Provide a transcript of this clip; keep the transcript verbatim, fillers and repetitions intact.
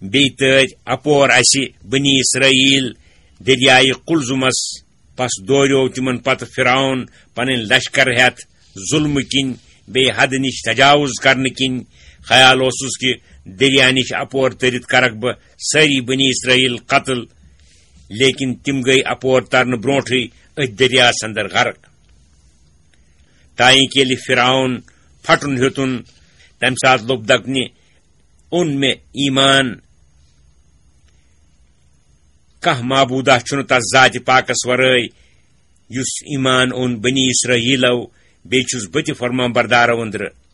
بیٚیہِ تٲرۍ اپور اسہِ بنی اسرائیل دریایہِ قلزمس۔ پس دوریو تِمن پتہٕ فرعون پنٕنۍ لشکر ہٮ۪تھ ظلمہٕ کِنۍ، بیٚیہِ حدٕ نِش تجاوز کرنہٕ کِنۍ۔ خیال اوسُس کہِ دریا نِش اپور تٔرِتھ کرکھ بہٕ سٲری بنی اسرائیل قتل، لیکن تِم گٔے اپور ترنہٕ برونٹھٕے أتھۍ دریاہس اندر غرق۔ تائیں کہ ییٚلہِ فرعون پھٹُن ہیوٚتُن، تمہِ ساتہٕ لوٚب دپنہِ، اوٚن مےٚ ایمان، کانٛہہ معبوٗدہ چھُنہٕ تس ذاتِ پاکس ورٲے، یُس ایمان اوٚن بنی اسرائیلو، بیٚیہِ چھُس بہٕ تہِ فرمان بردارو أنٛدرٕ۔